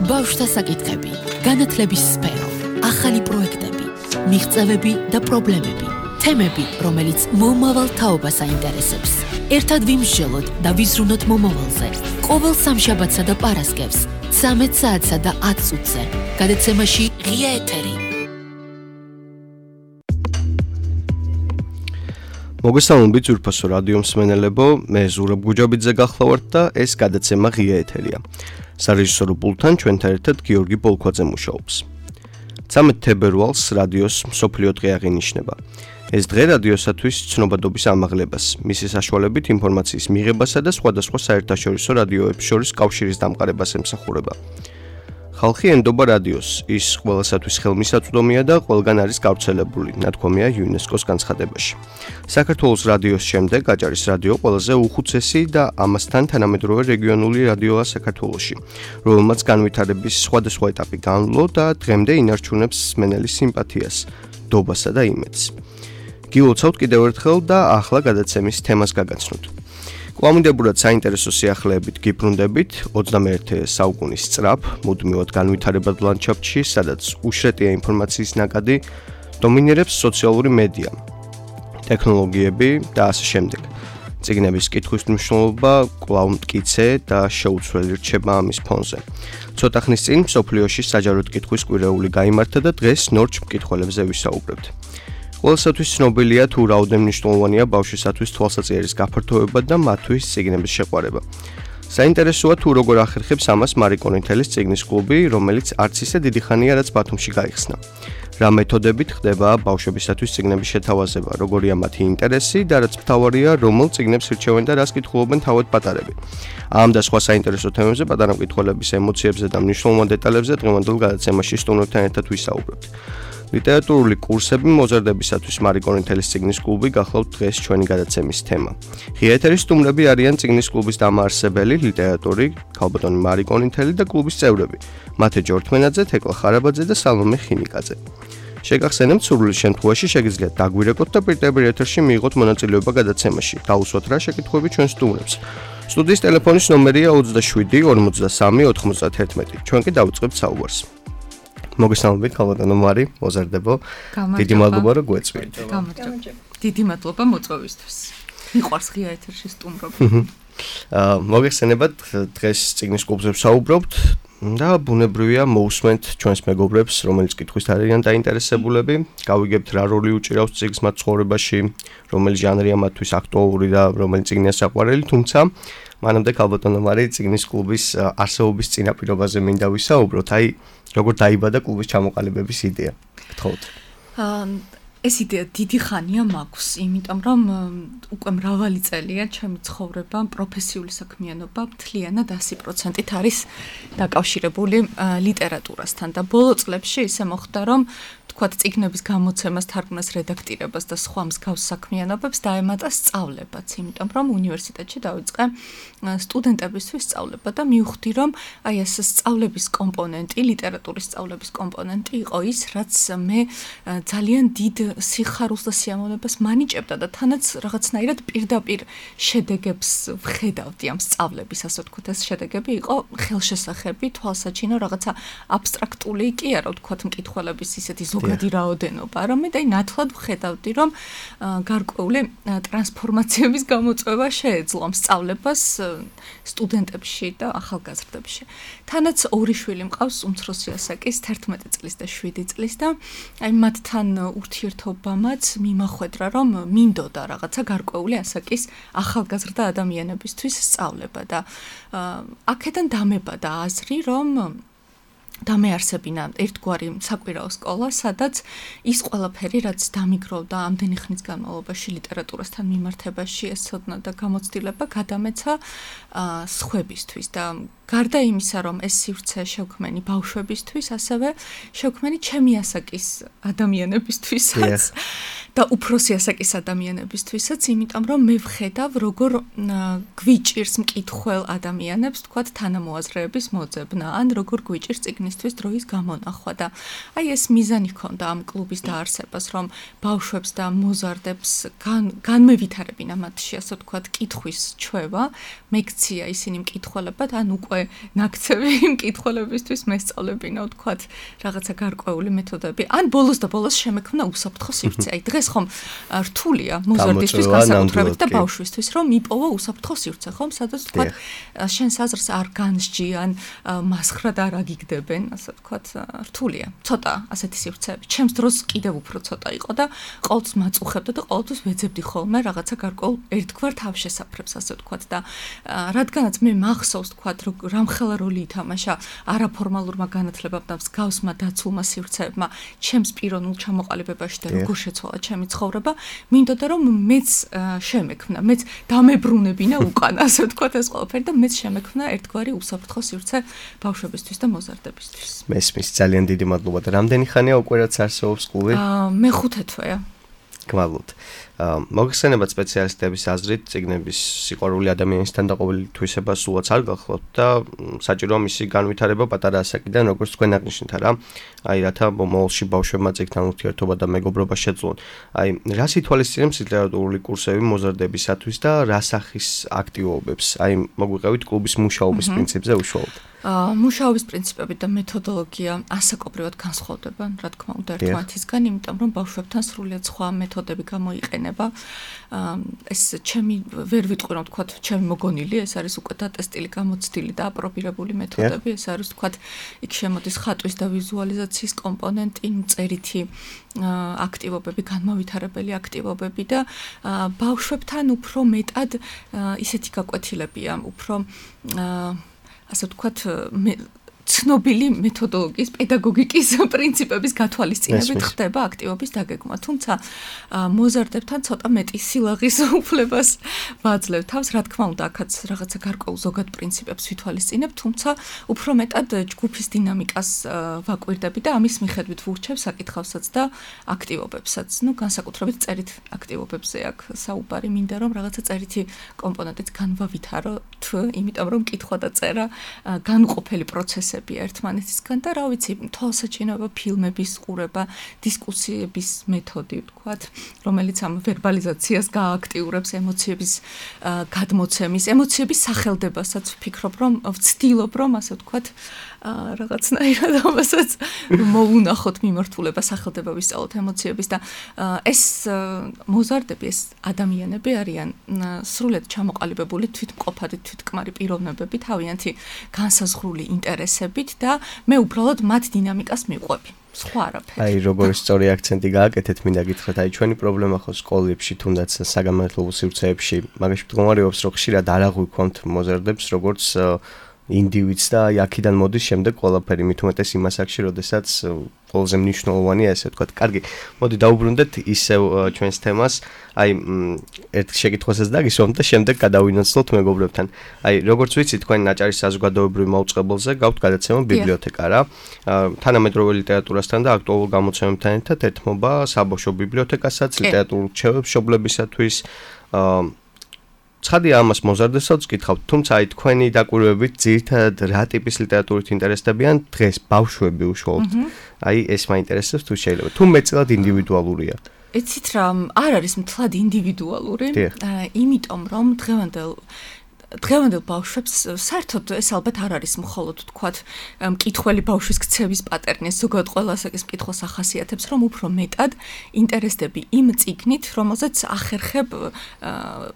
ბავშვთა საკითხები, განათლების სფერო, ახალი პროექტები, მიღწევები და პრობლემები, თემები, რომელიც მომავალ თაობას აინტერესებს. ერთად ვიმსჯელოთ და ვიზრუნოთ მომავალზე. ყოველ სამშაბათსა და პარასკევს, 13 საათსა და 10 წუთზე. გადაცემაში ღია ეთერი. მოგესალმებით ძვირფასო რადიო მსმენელებო, მე ზურაბ გუჯაბიძე გახლავართ და ეს გადაცემა ღია ეთერია. სარეჟისორო პულტთან ჩვენთან ერთად გიორგი პოლქვაძე მუშაობს. 13 თებერვალს რადიოს მსოფლიო დღე აღინიშნება. ეს დღე რადიოსათვის ცნობადობის ამაღლებას, მისი საშუალებით ინფორმაციის მიღებასა და სხვადასხვა საერთაშორისო რადიოებს შორის კავშირის დამყარებას ემსახურება. ხალხი ენდობა რადიოს, ის ყველასათვის ხელმისაწვდომია და ყველგან არის გავრცელებული, ნათქვამია იუნესკოს განცხადებაში. საქართველოს რადიოს შემდეგ აჭარის რადიო ყველაზე უხუცესი და ამასთან თანამედროვე რეგიონული რადიოა საქართველოში, რომელმაც განვითარების სხვადასხვა ეტაპი განვლო და დღემდე ინარჩუნებს მსმენელის სიმპათიას, დობასა და იმედს. გილოცავთ კიდევ ერთხელ და ახლა გადაცემის თემას გაგაცნოთ. კვლავინდებურად საინტერესო სიახლეებით გიბრუნდებით 21 საუკუნის სწრაფ, მუდმივად განვითარებად ლანდშაფტში, სადაც უშრეტია ინფორმაციის ნაკადი, დომინირებს სოციალური მედია, ტექნოლოგიები და ასე შემდეგ. წიგნების კითხვის მნიშვნელობა კვლავ მტკიცე და შეუცვლელი რჩება ამის ფონზე. ცოტა ხნის წინ მსოფლიოში საჯაროდ კითხვის კვირეული გაიმართა და დღეს ნორჩ მკითხველებზე ვისაუბრებთ. ყველასათვის ცნობილია თუ რაოდენ მნიშვნელოვანია ბავშვისათვის თვალსაჩინოს გაფართოება და მათთვის წიგნების შეყვარება. საინტერესოა თუ როგორ ახერხებს ამას მარი კონითელის წიგნის კლუბი, რომელიც არც ისე დიდი ხანია რაც ბათუმში გაიხსნა. რა მეთოდებით ხდება ბავშვებისათვის წიგნების შეთავაზება, როგორია მათი ინტერესი და რაც მთავარია, რომელ წიგნებს ირჩევენ და რას კითხულობენ თავად პატარები. ამ და სხვა საინტერესო თემებზე პატარა მკითხველების ემოციებზე და მნიშვნელოვან დეტალებზე დღევანდელ გადაცემაში სტუმრებთან ერთად ვისაუბრებთ. ლიტერატურული კურსები მოზარდებისათვის მარი კონითელის წიგნის კლუბი გახლავთ დღეს ჩვენი გადაცემის თემა. ღია ეთერის სტუმრები არიან წიგნის კლუბის დამაარსებელი, ლიტერატორი, ქალბატონი მარი კონითელი და კლუბის წევრები, მათე ჯორთმენაძე, თეკლა ხარაბაძე და სალომე ხინიკაძე. შეგახსენებთ, სურვილის შემთხვევაში შეგიძლიათ დაგვირეკოთ და პირდაპირ ეთერში მიიღოთ მონაწილეობა გადაცემაში. დაუსვათ რა შეკითხვები ჩვენ სტუმრებს. სტუდიის ტელეფონის ნომერია 27 43 91. ჩვენ კი დავიწყებთ საუბარს. მოგესალმებით, ქალბატონო მარი, მოზარდებო. დიდი მადლობა, რომ გვეწვიეთ. დიდი მადლობა მოწვევისთვის. მიყვარს ღია ეთერში სტუმრობა. მოგეხსენებათ, დღეს წიგნის კლუბზე ვსაუბრობთ და ბუნებრივია მოусმენთ ჩვენს მეგობრებს, რომელიც კითხვის არიან დაინტერესებულები. გავიგებთ რა როლი უჭირავს წიგნს მათ ცხოვრებაში, რომელი ჟანრია მათთვის აქტუალური და რომელი წიგნია საყვარელი, თუმცა მანამდე ქალბატონო მარი წიგნის კლუბის არსებობის წინაპირობაზე მინდა ვისაუბროთ. აი როგორ დაიბადა კლუბის ჩამოყალიბების იდეა? გთხოვთ. ეს იდეა დიდი ხანია მაქვს, იმიტომ რომ უკვე მრავალი წელია ჩემი ცხოვრება, პროფესიული საქმიანობა მთლიანად 100%-ით არის დაკავშირებული ლიტერატურასთან და ბოლო წლებში ისე მოხდა, რომ თქვათ წიგნების გამოცემას, თარგმნას, რედაქტირებას და სხვა მსგავს საქმიანობებს დაემატა სწავლებაც, იმიტომ რომ უნივერსიტეტში დავიწყე სტუდენტებისთვის სწავლება და მივხვდი, რომ აი ეს სწავლების კომპონენტი, ლიტერატურის სწავლების კომპონენტი იყო ის, რაც მე ძალიან დიდ სიხარულს და სიამოვნებას მანიჭებდა და თანაც რაღაცნაირად პირდაპირ შედეგებს ვხედავდი ამ სწავლების, ასე ვთქვათ, ეს შედეგები იყო ხელშესახები, თვალსაჩინო, რაღაცა აბსტრაქტული კი არა, ვთქვათ, მკითხველების ისეთი ზოგადი რაოდენობა, რომ მე ნათლად ვხედავდი, რომ გარკვეული ტრანსფორმაციების გამოწვევა შეეძლო სწავლებას სტუდენტებში და ახალგაზრდებში. თანაც ორი შვილი მყავს, უმცროსი ასაკის 11 წლის და 7 წლის და აი მათთან ურთიერთობამაც მიმახვედრა, რომ მინდოდა რაღაცა გარკვეული ასაკის ახალგაზრდა ადამიანებისთვის სწავლება და აქედან დამებადა აზრი, რომ დამეარსებინა ერთგვარი საკვირაო სკოლა, სადაც ის ყველაფერი, რაც დამიგროვდა ამდენი ხნის განმავლობაში ლიტერატურასთან მიმართებაში, ეს ცოდნა და გამოცდილება გადამეცა სხვებისთვის და გარდა იმისა, რომ ეს სივრცე შევქმენი ბავშვებისთვის, ასევე შევქმენი ჩემი ასაკის ადამიანებისთვისაც და უფროსი ასაკის ადამიანებისთვისაც, იმიტომ რომ მე ვხედავ როგორ გვიჭირს მკითხველ ადამიანებს, თქვათ, თანამოაზრეების მოძებნა, ან როგორ გვიჭირს წიგნისთვის დროის გამონახვა და აი ეს მიზანი ჰქონდა ამ კლუბის დაარსებას, რომ ბავშვებს და მოზარდებს განმევითარებინა მათში, ასე ვთქვათ, კითხვის ჩვევა, მეკცია ისინი მკითხველებად, ან უკვე ნაქცევი მკითხველებისთვის მესწავლებინა, ვთქვათ, რაღაცა გარკვეული მეთოდები, ან ბოლოს და ბოლოს შემექმნა უსაფრთხო სივრცე. აი დღეს ხომ რთულია მოზარდისთვის განსაკუთრებით და ბავშვისთვის, რომ იპოვა უსაფრთხო სივრცე, ხომ, სადაც ვთქვათ, შენს აზრს არ განსჯიან, მასხრად არ აგიგდებენ, ასე ვთქვათ, რთულია. ცოტა ასეთი სივრცეები. ჩემს დროს კიდევ უფრო ცოტა იყო და ყოველთვის მაწუხებდა და ყოველთვის ვეძებდი ხოლმე რაღაცა გარკვეულ ერთგვარ თავშესაფრებს, ასე ვთქვათ და რადგანაც მე მახსოვს, ვთქვათ, რამხელა როლი ითამაშა არაფორმალურმა განათლებამ და მსგავსმა დაცულმა სივრცეებმა ჩემს პიროვნულ ჩამოყალიბებაში და როგორ შეცვალა ჩემი ცხოვრება, მინდოდა რომ მეც შემექმნა, მეც დამებრუნებინა უკან, ასე ვთქვათ, ეს ყველაფერი და მეც შემექმნა ერთგვარი უსაფრთხო სივრცე ბავშვებისთვის და მოზარდებისთვის. მესმის, ძალიან დიდი მადლობა და რამდენი ხანია უკვე რაც არსებობს კლუბი? მე-5 თვეა. გმადლობთ. მოგხსენებათ სპეციალისტების აზრით, წიგნების სიყვარული ადამიანისთან დაყოლილი თვისება სულაც არ გახლავთ და საჭიროა მისი განვითარება პატარა ასაკიდან, როგორც თქვენ აღნიშნეთ რა. აი რათა მომავალში ბავშვებმა წიგნთან ურთიერთობა და მეგობრობა შეძლონ. აი რას ითვალისწინებს ლიტერატურული კურსები მოზარდებისათვის და რა სახის აქტივობებს? აი მოგვიყევით კლუბის მუშაობის პრინციპზე უშუალოდ. მუშაობის პრინციპები და მეთოდოლოგია ასაკობრივად განსხვავდება, რა თქმა უნდა, ერთმანეთისგან, იმიტომ რომ ბავშვებთან სრულიად სხვა მეთოდები გამოიყენება. ეს ჩემი ვერ ვიტყვი რომ თქვათ, ჩემი მოგონილი, ეს არის უკვე დატესტილი, გამოცდილი და აპრობირებული მეთოდები, ეს არის თქვათ, იქ შემოდის ხატვის და ვიზუალიზაციის კომპონენტი, წერითი აქტივობები, განმავითარებელი აქტივობები და ბავშვებთან უფრო მეტად ისეთი გაკვეთილებია, უფრო ასე ვთქვათ, ცნობილი მეთოდოლოგიის, პედაგოგიკის პრინციპების გათვალისწინებით ხდება აქტივობის დაგეგმა. თუმცა მოზარდებთან ცოტა მეტი სილაღის უფლებას ვაძლევ თავს, რა თქმა უნდა, აქაც რაღაცა გარკვეულ ზოგად პრინციპებს ვითვალისწინებ, თუმცა უფრო მეტად ჯგუფის დინამიკას ვაკვირდები და ამის მიხედვით ვურჩევ საკითხავსაც და აქტივობებსაც. ნუ განსაკუთრებით წერით აქტივობებზე აქ საუბარი მინდა რომ რაღაცა წერითი კომპონენტიც განვავითაროთ, იმიტომ რომ კითხვა და წერა განუყოფელი პროცესია ერთმანეთისგან და რა ვიცი, თვალსაჩინოება, ფილმების ყურება, დისკუსიების მეთოდი, ვთქვათ, რომელიც ამ ვერბალიზაციას გააქტიურებს, ემოციების გადმოცემის, ემოციების სახელდებასაც ვფიქრობ, რომ ვცდილობ, რომ ასე ვთქვათ, რაღაცნაირად ამასაც მოუნახოთ მიმართულება, სახელდება ვისწავლოთ ემოციების და ეს მოზარდები, ეს ადამიანები არიან სრულიად ჩამოყალიბებული თვითმყოფადი, თვითკმარი პიროვნებები, თავიანთი განსაზღვრული ინტერესებით და მე უბრალოდ მათ დინამიკას მივყვები. სხვა არაფერი. აი, როგორი სწორი აქცენტი გააკეთეთ, მინდა გითხრათ, აი ჩვენი პრობლემა ხო სკოლებში, თუნდაც საგანმანათლებლო სივრცეებში, მაგაში მდგომარეობს, რომ ხშირად არ აღვიქვამთ მოზარდებს, როგორც ინდივიდს და აი აქედან მოდის შემდეგ ყველაფერი, მით უმეტეს იმ ასაკში, როდესაც ყველაზე მნიშვნელოვანია ესე ვთქვათ. კარგი, მოდი დაუბრუნდეთ ისევ ჩვენს თემას. აი ერთ შეკითხვასაც დაგისვამთ და შემდეგ გადავინაცვლოთ მეგობრებთან. აი როგორც ვიცი, თქვენ ნაჭარის საზოგადოებრივ მაუწყებელზე გაქვთ გადაცემა ბიბლიოთეკა რა. თანამედროვე ლიტერატურასთან და აქტუალურ გამოცემებთან ერთად ეთმობა საბავშვო ბიბლიოთეკასაც, ლიტერატურულ რჩევებისათვის. ცხადია ამას მოზარდესაც გითხავთ, თუმცა აი თქვენი დაკვირვებით ძირითადად რა ტიპის ლიტერატურით ინტერესდებიან დღეს ბავშვები უშუალოდ. აი ეს მაინტერესებს თუ შეიძლება. თუ მეტწილად ინდივიდუალურია. ეცით რა, არ არის მთლად ინდივიდუალური, იმიტომ რომ დღევანდელ ბავშვებს საერთოდ ეს ალბათ არ არის მხოლოდ თქვათ მკითხველი ბავშვის ქცევის პატერნი, ზოგადად ყველა ასაკის მკითხველს ახასიათებს, რომ უფრო მეტად ინტერესდები იმ წიგნით, რომელზეც ახერხებ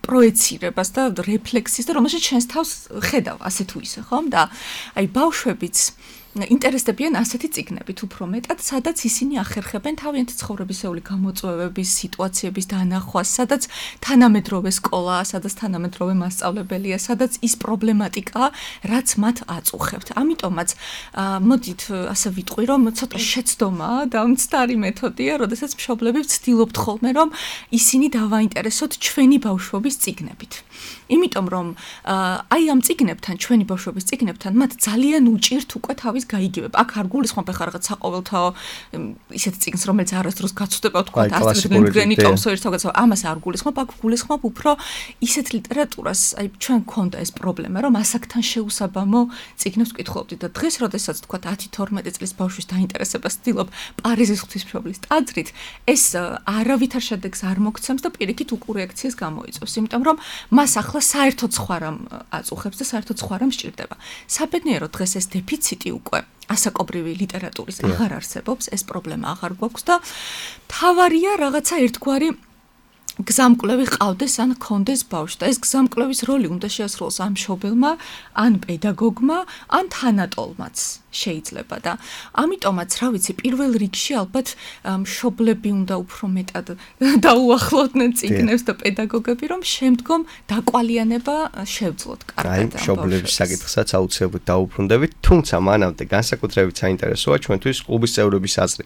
პროეცირებას და რეფლექსის და რომელშიც შენს თავს ხედავ, ასე თუ ისე, ხომ? და აი ბავშვებიც ინტერესდებიან ასეთი წიგნებით უფრო მეტად, სადაც ისინი ახერხებენ თავიანთი ცხოვრებისეული გამოწვევების, სიტუაციების დანახვას, სადაც თანამედროვე სკოლაა, სადაც თანამედროვე მასწავლებელია, სადაც ის პრობლემატიკაა, რაც მათ აწუხებთ. ამიტომაც მოდით ასე ვიტყვი, რომ ცოტა შეცდომაა და მცდარი მეთოდია, როდესაც მშობლები ვცდილობთ ხოლმე, რომ ისინი დავაინტერესოთ ჩვენი ბავშვობის წიგნებით. იმიტომ რომ აი ამ წიგნებთან, ჩვენი ბავშვობის წიგნებთან, მათ ძალიან უჭირთ უკვე თავის გაიგივებ. აქ არ გულისხმობ ახლა რაღაც საყოველთაო ისეთ წიგნს, რომელიც არასდროს გაცვდება თქვა ასტრიდ ტომსონის რაღაცა, ამას არ გულისხმობ, აქ გულისხმობ უფრო ისეთ ლიტერატურას, აი ჩვენ გქონდა ეს პრობლემა, რომ ასაკთან შეუსაბამო წიგნებს ვკითხულობდით და დღეს, როდესაც თქვა 10-12 წლის ბავშვის დაინტერესებას ვცდილობ პარიზის ღვთისმშობლის ტაძრით, ეს არავითარ შედეგს არ მოგცემს და პირიქით უკურეაქციას გამოიწვევს, იმიტომ რომ მას ახლა საერთოდ სხვა რამ აწუხებს და საერთოდ სხვა რამ სჭირდება. საბედნიეროდ დღეს ეს დეფიციტი უკვე ასაკობრივი ლიტერატურის აღარ არსებობს, ეს პრობლემა აღარ გვაქვს და თავარია რაღაცა ერთგვარი გზამკვლევი ყავდეს ან ქონდეს ბავშვს და ეს გზამკვლევის როლი უნდა შეასრულოს ამ მშობელმა, ან პედაგოგმა, ან თანატოლმაც შეიძლება და ამიტომაც რა ვიცი პირველ რიგში ალბათ მშობლები უნდა უფრო მეტად დაუახლოვდნენ წიგნებს და პედაგოგები რომ შემდგომ დაკვალიანება შევძლოთ კარგად. აი მშობლების საკითხსაც აუცილებლად დაუბრუნდებით, თუმცა მანამდე განსაკუთრებით საინტერესოა ჩვენთვის კლუბის წევრების აზრი.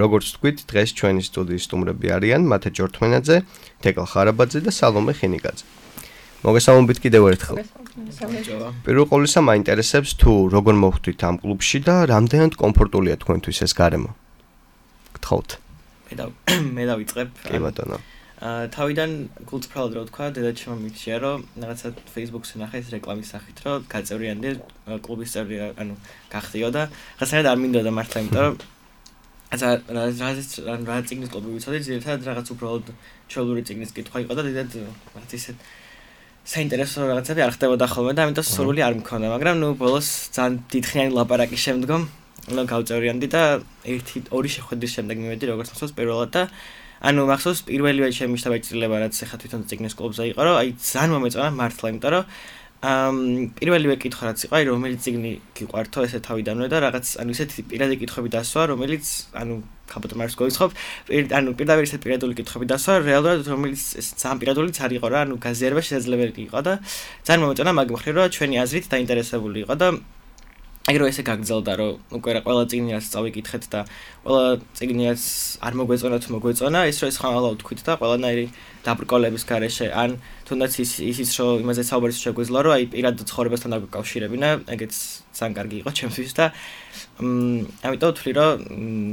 როგორც თქვით, დღეს ჩვენი სტუდიის სტუმრები არიან მათე ჯორთმენაძე, თეკლა ხარაბაძე და სალომე ხინიგაძე. მოგესალმებით კიდევ ერთხელ. პირველ ყოვლისა მაინტერესებს თუ როგორ მოხვდით ამ კლუბში და რამდენად კომფორტულია თქვენთვის ეს გარემო. გთხოვთ. მე დავიწყებ. კი ბატონო. თავიდან გულწრფელად რო თქვა, დედაჩემმა მითხრა, რომ რაღაცა Facebook-ზე ნახეს რეკლამის სახით, რომ გაწევრიანდი კლუბის წევრი, ანუ გახდიო და რაღაცა არ მინდოდა მართლა, იმიტომ რომ რა წიგნის კლუბი ვიცოდი, ძირითადად რაღაც უბრალოდ ჩვეულებრივი წიგნის კითხვა იყო და დიდად რაღაც ისეთ საინტერესო რაღაცები არ ხდებოდა ხოლმე და ამიტომ სურვილი არ მქონდა, მაგრამ ნუ ბოლოს ძალიან დიდხნიანი ლაპარაკის შემდგომ ნუ გავწევრიანდი და 1-2 შეხვედრის შემდეგ მივედი როგორც მახსოვს პირველად და ანუ მახსოვს პირველივე ჩემი შთაბეჭდილება რაც ახლა თვითონ წიგნის კლუბზე იყო, რომ აი ძალიან მომეწონა მართლა, იმიტომ რომ პირველივე კითხვა რაც იყო, აი რომელი წიგნი გიყვართო ესე თავიდანვე და რაღაც ანუ ისეთი პირადი კითხვები დასვა, რომელიც ანუ ხაბოთ მარს გოიცხობ, ანუ პირდაპირ ისეთი პირადული კითხვები დასვა, რეალურად რომელიც ძალიან პირადულიც არ იყო რა, ანუ გაზიარება შესაძლებელი იყო და ძალიან მომეწონა მაგ მხრივ, რომ ჩვენი აზრით დაინტერესებული იყო და აი რომ ესე გაგრძელდა, რომ უკვე რა ყველა წიგნი რაც წავიკითხეთ და ყველა წიგნი რაც არ მოგვეწონა თუ მოგვეწონა, ის რომ ეს ხმალავ თქვით და ყველანაირი დაბრკოლების გარეშე, ან თუნდაც ისიც რომ იმაზე საუბარი შეგვეძლო, რომ აი პირად ცხოვრებასთან დაგაკავშირებინა, ეგეც ძალიან კარგი იყო ჩემთვის და ამიტომ ვთვლი, რომ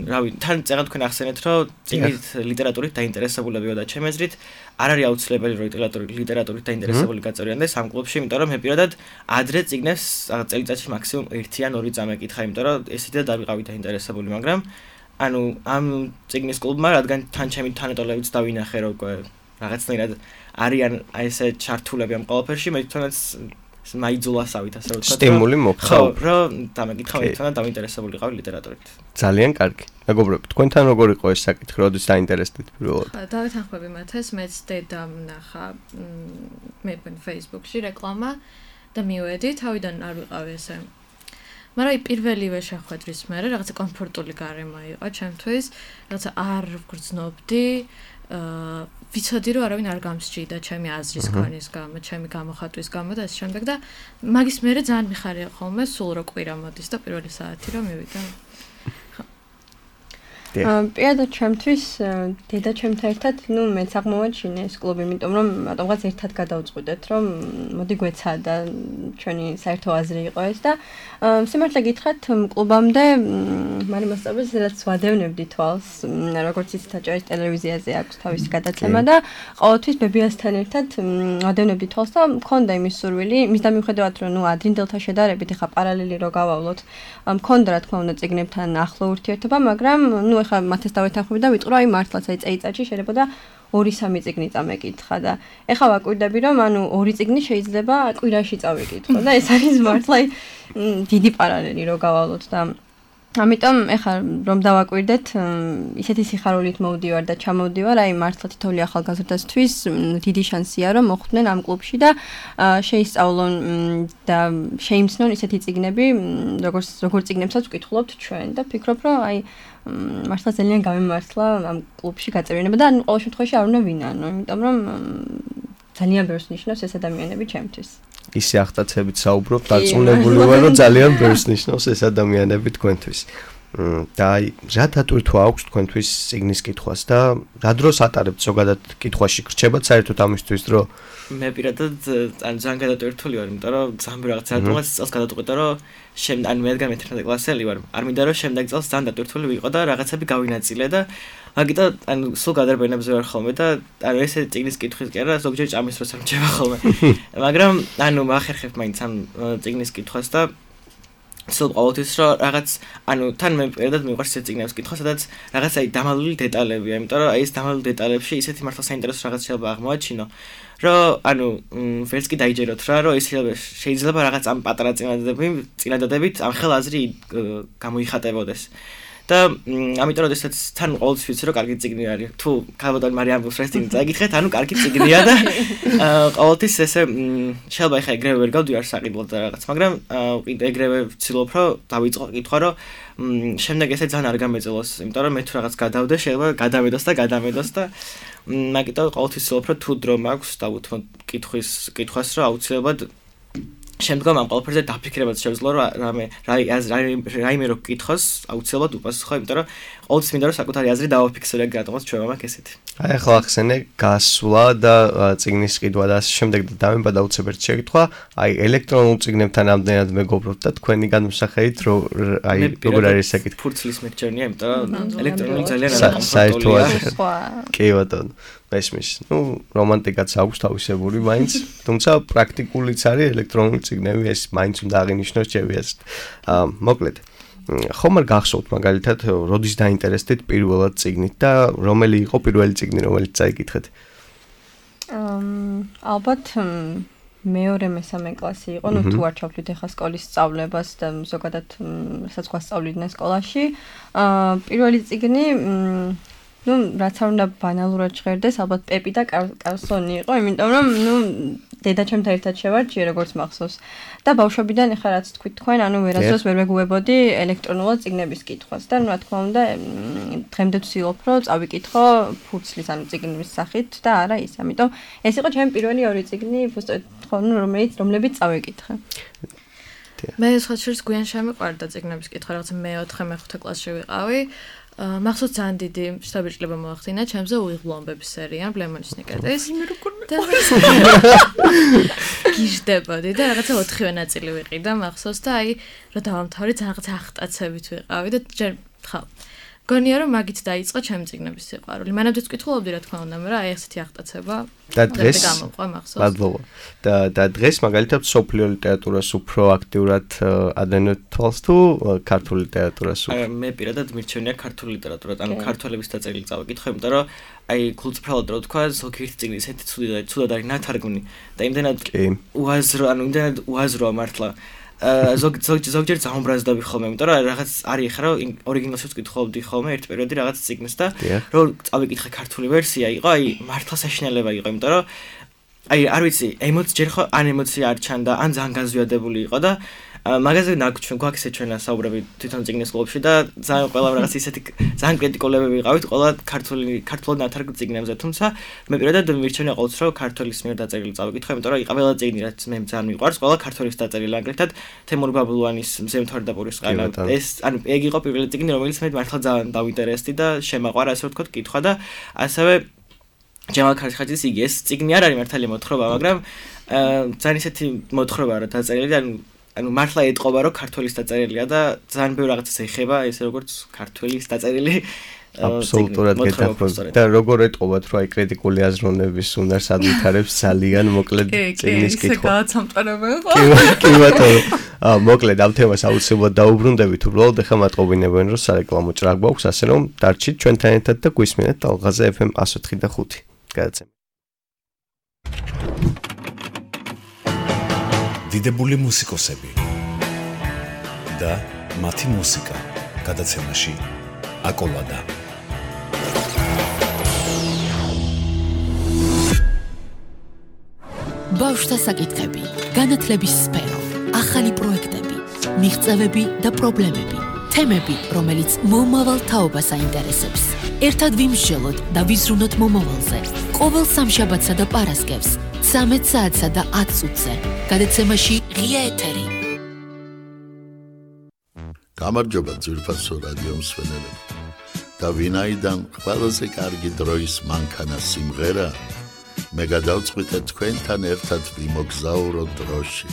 რავი, თან წერა თქვენ ახსენეთ, რომ წიგნით ლიტერატურით დაინტერესებულებიო და ჩემი აზრით არ არის აუცილებელი რომ ლიტერატურით დაინტერესებული გაწევრიანდეს ამ კლუბში, იმიტომ რომ მე პირადად ადრე წიგნებს წელიწადში მაქსიმუმ 1 ან 2 წამეკითხა, იმიტომ რომ ესეთი და დავიყავი დაინტერესებული, მაგრამ ანუ ამ წიგნის კლუბმა, რადგან თან ჩემი თანატოლებიც დავინახე, რომ რაღაცნაირად არიან აი ესე ჩართულები ამ ყველაფერში, მე თვითონაც მაიძულასავით, ასე რომ ვთქვა. სტიმული მოხდა. ხო, რომ დამეკითხა, მე თვითონ დაინტერესებული ვიყავი ლიტერატურით. ძალიან კარგი. მეგობრებო, თქვენთან როგორ იყო ეს საკითხი, როდის დაინტერესდით პირველად? დავეთანხმები მათეს, მეც დედამ ნახა მე Facebook-ში რეკლამა და მივედი, თავიდან არ ვიყავი ესე. მაგრამ აი პირველივე შეხვედრის მერე რაღაცა კომფორტული გარემო იყო ჩემთვის, რაღაცა არ ვგრძნობდი, ვიცოდი რომ არავინ არ გამსჭირდა ჩემი აზრის ქონის გამო, ჩემი გამოხატვის გამო და ეს შემდეგ და მაგის მერე ძალიან მიხარია ხოლმე სულ რო კვირა მოდის და პირველი საათი რომ მივიდა. პირადად ჩემთვის დედა ჩემთან ერთად, ნუ მეც აღმოვაჩინე ეს კლუბი, იმიტომ რომ რატომღაც ერთად გადავწყვიტეთ, რომ მოდი გვეცადა ჩვენი საერთო აზრი იყო ეს და სიმართლე გითხრათ, კლუბამდე მარი მასწავლებელს სადაც ვადევნებდი თვალს, როგორც იცით, აჭარის ტელევიზიაზე აქვს თავისი გადაცემა და ყოველთვის ბებიასთან ერთად ვადევნებდი თვალს და მქონდა იმის სურვილი, მის და მიუხედავად რომ ნუ ადრინდელთა შედარებით ეხა პარალელი რო გავავლოთ, მქონდა რა თქმა უნდა წიგნებთან ახლო ურთიერთობა, მაგრამ ნუ ეხა მათეს დავეთანხმები და ვიტყვი, აი მართლაც აი წელიწადში შეიძლება 2-3 წიგნი წამეკითხა და ეხლა ვაკვირდები რომ ანუ 2 წიგნი შეიძლება კვირაში წავიკითხო და ეს არის მართლა დიდი პარალელი რო გავავლოთ და ამიტომ ეხლა რომ დავაკვირდეთ ისეთი სიხარულით მოვდივარ და ჩამოვდივარ, აი მართლა თითოეული ახალგაზრდასთვის დიდი შანსია რომ მოხვდნენ ამ კლუბში და შეისწავლონ და შეიმცნონ ისეთი წიგნები, როგორ წიგნებსაც ვკითხულობთ ჩვენ და ფიქრობ რომ აი მართლა ძალიან გამემართლა ამ კლუბში გაწევრიანება და ანუ ყოველ შემთხვევაში არ უნდა ვინანო, იმიტომ რომ ძალიან ბევრს ნიშნავს ეს ადამიანები ჩემთვის. ისე ახტაცებით საუბრობ, დარწმუნებული ვარ, რომ ძალიან ბევრს ნიშნავს ეს ადამიანები თქვენთვის. და რა დატვირთვა აქვს თქვენთვის წიგნის კითხვას და რა დროს ატარებთ ზოგადად კითხვაში გრჩებათ საერთოდ ამისთვის რომ მე პირადად ძალიან გადატვირთული ვარ, იმიტომ რომ ძალიან რაღაც რატომაც წელს გადავწყვიტე რომ ან მე რადგან მე-11 კლასელი ვარ, არ მინდა რომ შემდეგ წელს ძალიან დატვირთული ვიყო და რაღაცები გავინაწილე და მაგიტო სულ გადარბენებზე ვარ ხოლმე და ესე წიგნის კითხვის კი არა, ზოგჯერ ჭამის დროს ამჭება ხოლმე. მაგრამ მახერხებ მაინც ამ წიგნის კითხვას და სულ ყოველთვის რომ რაღაც თან მე პირადად მიყვარს ეს წიგნების კითხვა, სადაც რაღაც დამალული დეტალებია, იმიტომ რომ ეს დამალული დეტალებში ისეთი მართლა საინტერესო რაღაც შეიძლება აღმოაჩინო, რომ ვერც კი დაიჯეროთ რა, რომ ეს შეიძლება რაღაც ამ პატარა წინადადებით ამ ხელაზრი გამოიხატებოდეს. და ამიტომ როდესაც თან ყოველთვის ვიცი რომ კარგი წიგნი არის. თუ ქალბატონი მარიამ ბუსრეს წიგნი წაგითხეთ, კარგი წიგნია და ყოველთვის ესე შეიძლება ხა ეგრევე ვერ გავდივარ საყიდლად და რაღაც, მაგრამ ეგრევე ვცდილობ რომ დავიწყო კითხვა, რომ შემდეგ ესე ძალიან არ გამეწელოს, იმიტომ რომ მე თუ რაღაც გადავდე, შეიძლება გადამედოს და მაგიტომ ყოველთვის ვცდილობ რომ თუ დრო მაქვს დავუთმო კითხვას რომ აუცილებლად შემდგომ ამ ყველაფერზე დაფიქრებაც შეძლო რომ რაიმე რო კითხოს აუცილებლად უპასუხო, იმიტომ რომ ყოველთვის მინდა რომ საკუთარი აზრი დავაფიქსირე, რატომაც ჩვენ მაქვს ესეთი. აი ახლა ახსენე გასვლა და წიგნის ყიდვა და ასე შემდეგ და დამემბადა უცებერთ შეკითხვა, აი ელექტრონულ წიგნებთან ამდენად მეგობრობთ და თქვენი განმსახედით როგორ არის საკითხი? ფურცლის მერჩენია, იმიტომ რომ ელექტრონული ძალიან არაკომფორტულია. კი ბატონო. მესმის, რომანტიკაც აქვს თავისებური მაინც, თუმცა პრაქტიკულიც არის ელექტრონული წიგნები, ეს მაინც უნდა აღინიშნოს ჩემი აზრით. მოკლედ, ხომ არ გახსოვთ მაგალითად, როდის დაინტერესდით პირველად წიგნით და რომელი იყო პირველი წიგნი, რომელიც წაიკითხეთ? ალბათ მეორე მესამე კლასი იყო, თუ არ ჩავთვლით ახლა სკოლის სწავლებას და ზოგადად საწყო სწავლიდნენ სკოლაში. პირველი წიგნი რაც არ უნდა ბანალურად ჟღერდეს, ალბათ პეპი და კარლსონი იყო, იმიტომ რომ დედაჩემთან ერთად შევარჩიე, როგორც მახსოვს. და ბავშვობიდან ახლა რაც თქვით თქვენ, ვერასდროს ვერ მეგუებოდი ელექტრონულად წიგნების კითხვას და რა თქმა უნდა, დღემდე ვცდილობ, რომ წავიკითხო ფურცლის წიგნების სახით და არა ის. ამიტომ ეს იყო ჩემი პირველი ორი წიგნი, რომლებიც წავიკითხე. მე სხვა შორის გვიან შემიყვარდა წიგნების კითხვა, რაღაცა მე-4-მე-5 კლასში ვიყავი. მახსოვს ძალიან დიდი შთაბეჭდილება მოახდინა ჩემზე უიღბლო ამბების სერია ბლემონის ნიკეტის. გიჟდებოდი და რაღაცა 4-ვე ნაწილი ვიყიდა მახსოვს და რა დავამთავრე რაღაცა ახტაცებით ვიყავი და ჯერ ხა გონია რომ მაგით დაიწყო ჩემი წიგნების სიყვარული. მანამდეც ვკითხულობდი რა თქმა უნდა, მაგრამ ესეთი ახტაცება და დღეს გამოყვა მახსოვს. მადლობა. და დღეს მაგალითად სოფლიო ლიტერატურას უფრო აქტიურად ადენოთ თვალს თუ ქართული ლიტერატურას? მე პირადად მირჩენია ქართული ლიტერატურა, ქართველების დაწერილი წავიკითხე, იმიტომ რომ გულწრფელად რო თქვა, ზოგიერთი წიგნი ესეთი ცუდად არის ნათარგმნი და იმდენად უაზროა მართლა. ზოგჯერ ზაუმბრაზდები ხოლმე, იმიტომ რომ რაღაც არის ხა რომ ორიგინალში ვკითხულობდი ხოლმე ერთ პერიოდი რაღაც წიგნს და რომ წავიკითხე ქართული ვერსია იყო, მართლა საშინელება იყო, იმიტომ რომ არ ვიცი, ჯერ ხო ან ემოცია არ ჩანდა, ან ძალიან განზვიადებული იყო და მაგაზე გვაქვს ჩვენა საუბრები თვითონ წიგნის კლუბში და ძალიან ყველა რაღაც ისეთი ძალიან კრიტიკულები ვიყავით ყველა ქართულად ნათარგმნ წიგნებზე, თუმცა მე პირადად მირჩენია ყოველთვის რომ ქართულის მიერ დაწერილი წავიკითხე, იმიტომ რომ ყველა წიგნი რაც მე ძალიან მიყვარს, ყველა ქართულის დაწერილი, აგრეთვე თემურ ბაბლუანის მზემთვარ და პურის ყანა. ეს ეგ იყო პირველი წიგნი, რომელიც მე მართლა ძალიან დავინტერესდი და შემაყვარა, ასე ვთქვათ, კითხვა და ასევე ჯემალ ქარხაძის იგი ეს წიგნი არ არის მართალი მოთხრობა, მაგრამ ძალიან ისეთი მოთხრობაა რა დაწერილი და მართლა ეტყობა რომ ქართულის დაწერილია და ძალიან ბევრი რაღაცას ეხება, ესე როგორც ქართულის დაწერილი. აბსოლუტურად გეთახმებით. და როგორ ეტყობათ რომ კრიტიკული აზროვნების უნარს ადვითარებს ძალიან მოკლედ წიგნის კითხვა. ეს გააცამტყარებენ ხო? კი ბატონო. მოკლედ ამ თემას აუცილებლად დაუბრუნდებით, უბრალოდ ახლა მატყობინებენ რომ სარეკლამო ჭრა გვაქვს, ასე რომ დარჩით ჩვენთან ერთად და გვისმენთ ალღაზე FM 104.5. გადაცემა. დიდებული მუსიკოსები და მათი მუსიკა გადაცემაში აკოლადა. ბავშვთა საკითხები, განათლების სფერო, ახალი პროექტები, მიღწევები და პრობლემები, თემები, რომელიც მომავალ თაობას აინტერესებს. ერთად ვიმსჯელოთ და ვიზრუნოთ მომავალზე. ყოველ სამშაბათსა და პარასკევს 13 საათსა და 10 წუთზე. გადაცემაში ღია ეთერი. გამარჯობა ძვირფასო რადიო მსმენელები. და ვინაიდან ყველაზე კარგი დროის მანქანა სიმღერა, მე გადავწყვიტე თქვენთან ერთად ვიმოგზაუროთ დროში.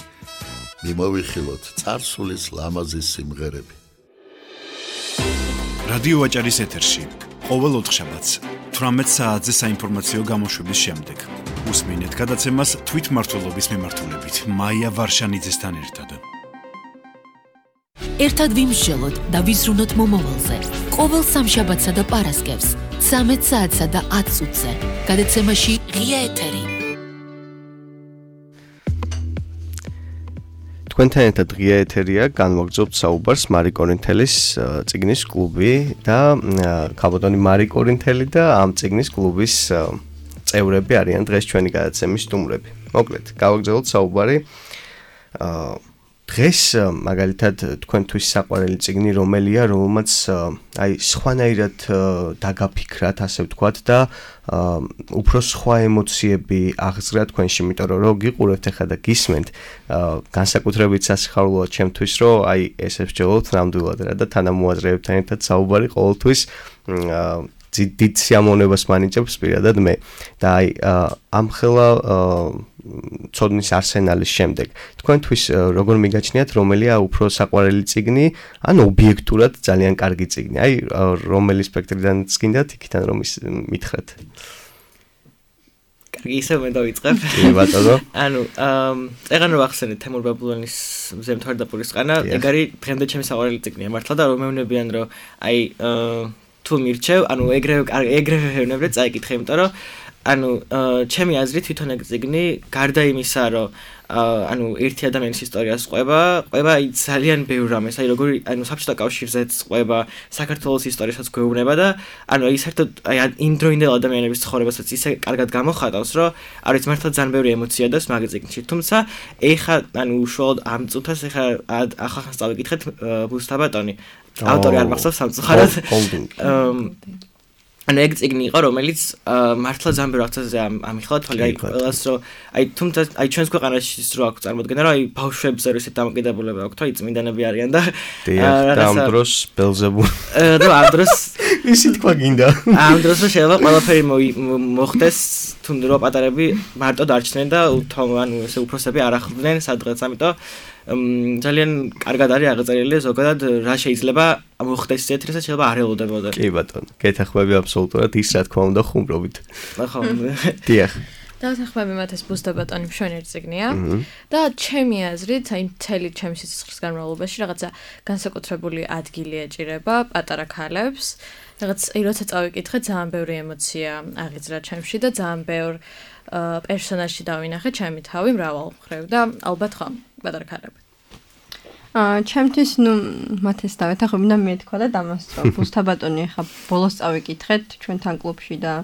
მიმოვიხილოთ წარსულის ლამაზი სიმღერები. რადიო ვაჭარის ეთერში ყოველ ოთხშაბათს 18 საათზე საინფორმაციო გამოშვების შემდეგ უსმინეთ გადაცემას თვითმმართველობის მიმართულებით მაია ვარშანიძესთან ერთად. ერთად ვიმსჯელოთ და ვიზრუნოთ მომავალზე. ყოველ სამშაბათსა და პარასკევს 13 საათსა და 10 წუთზე გადაცემაში ღია ეთერი. თქვენთან ერთად ღია ეთერია, განვაგრძობთ საუბარს მარი კორინთელის წიგნის კლუბი და ქალბატონი მარი კორინთელი და ამ წიგნის კლუბის წევრები არიან დღეს ჩვენი გადაცემის სტუმრები. მოკლედ, გავაგრძელოთ საუბარი. დღეს მაგალითად თქვენთვის საყვარელი წიგნი რომელია, რომელმაც აი სხვანაირად დაგაფიქრათ, ასე ვთქვათ და უფრო სხვა ემოციები აღზრდა თქვენში, იმიტომ რომ გიყურებთ ახლა და გისმენთ, განსაკუთრებით სასიხარულოა ჩემთვის, რომ აი ესე ვსჯელოთ ნამდვილად რა და თანამოაზრეებთან ერთად საუბარი ყოველთვის დიდ სიამოვნებას მანიჭებს პირადად მე და აი ამხელა ცოდნის არსენალის შემდეგ თქვენთვის როგორ მიგაჩნიათ რომელია უფრო საყვარელი წიგნი ან ობიექტურად ძალიან კარგი წიგნი აი რომელი სპექტრიდან გინდათ იქიდან რომ მითხრათ კარგი ისე მე დავიწყებ კი ბატონო ანუ წეგან რომ ახსენეთ თემურ ბაბულონის მზემთვარ და პურისყანა ეგ არის დღემდე ჩემი საყვარელი წიგნია მართლა და რომ მეუბნებიან რომ აი თუ მირჩევ, ანუ ეგრევე ვეუბნებდე წაიკითხე, იმიტომ რომ ანუ ჩემი აზრით თვითონ ეგ წიგნი გარდა იმისა, რომ ანუ ერთი ადამიანის ისტორიას ყვება აი ძალიან ბევრ რამეს, აი როგორი ანუ საბჭოთა კავშირზეც ყვება, საქართველოს ისტორიასაც გვეუბნება და ანუ აი საერთოდ აი იმდროინდელ ადამიანების ცხოვრებასაც ისე კარგად გამოხატავს, რომ არის მართლა ძალიან ბევრი ემოცია და მაგ წიგნში. თუმცა ეხა ანუ უშუალოდ ამ წუთას ეხა ახახანს წავიკითხეთ ბუსტაბატონი ავტორი არ მახსოვს სამწუხაროდ. ანუ ეგ წიგნი იყო, რომელიც მართლა ძალიან ბევრ აღწევზე ამიხლა თვალი აი ყველას რომ აი თუმცა აი ჩვენს ქვეყანაში რო აქვს წარმოდგენა რომ აი ბავშვებზე რო ისეთ დამოკიდებულება აქვს, აი წმინდანები არიან და ამ დროს ბელზებულ და ამ დროს ისი თქვა გინდა. ამ დროს შეიძლება ყველაფერი მოხდეს თუნდაც რო პატარები მარტო დარჩნენ და ანუ ესე უფროსები არ ახლდნენ სადღაც, ამიტომ ძალიან კარგად არის აღწერილი ზოგადად რა შეიძლება მოხდეს ისეთ რასაც შეიძლება არ ელოდებოდა. კი ბატონო, გეთახმები აბსოლუტურად ის რა თქმა უნდა ხუმრობით. ხო. დიახ. დავთანხმები მათ ეს ბუსტაბატონი მშვენიერი წიგნია და ჩემი აზრით, აი მთელი ჩემი სიცოცხლის განმავლობაში რაღაცა განსაკუთრებული ადგილი ეჭირება პატარა ქალებს. რაღაც აი როცა წავიკითხე, ძალიან ბევრი ემოცია აღიძრა ჩემში და ძალიან ბევრ პერსონაჟში დავინახე ჩემი თავი მრავალ მხრივ და ალბათ ხო პატარა ქალები. ჩემთვის მათ ეს დავეთახები და მე თქვა და დამასწრო. ბუსტაბატონი ახლა ბოლოს წავიკითხეთ ჩვენთან კლუბში და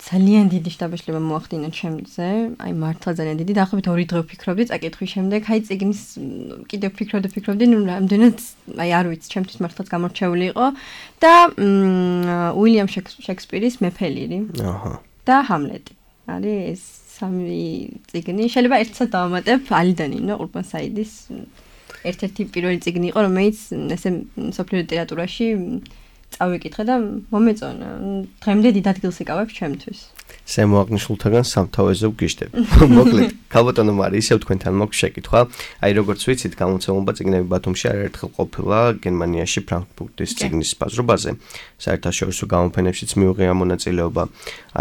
ძალიან დიდი შთაბეჭდილება მოახდინა ჩემზე. აი მართლა ძალიან დიდი. დაახლოებით 2 დღე ვფიქრობდი წაკითხვის შემდეგ. აი წიგნის კიდევ ვფიქრობდი, რამდენად აი არ ვიცი, ჩემთვის მართლაც გამორჩეული იყო და უილიამ შექსპირის მეფე ლირი. აჰა. და ჰამლეტი. არის ეს სამი წიგნი. შეიძლება ერთსაც დავამატებ ალიდან ინო ყურბან საიდის ერთ-ერთი პირველი წიგნი იყო, რომელიც ესე სოფლიო ლიტერატურაში წავიკითხე და მომეწონა. დღემდე დიდ ადგილს იკავებ ჩემთვის. შემოაღნიშნულთაგან სამთავეზე ვგიშდები. მოკლედ, ქალბატონო მარი, ისევ თქვენთან მაქვს შეკითხვა. აი როგორც ვიცით, გამოცემულობა წიგნები ბათუმში არაერთხელ ყოფილა გერმანიაში ფრანკფურტის წიგნის ბაზრობაზე. საერთაშორისო გამოფენებშიც მიუღია მონაწილეობა.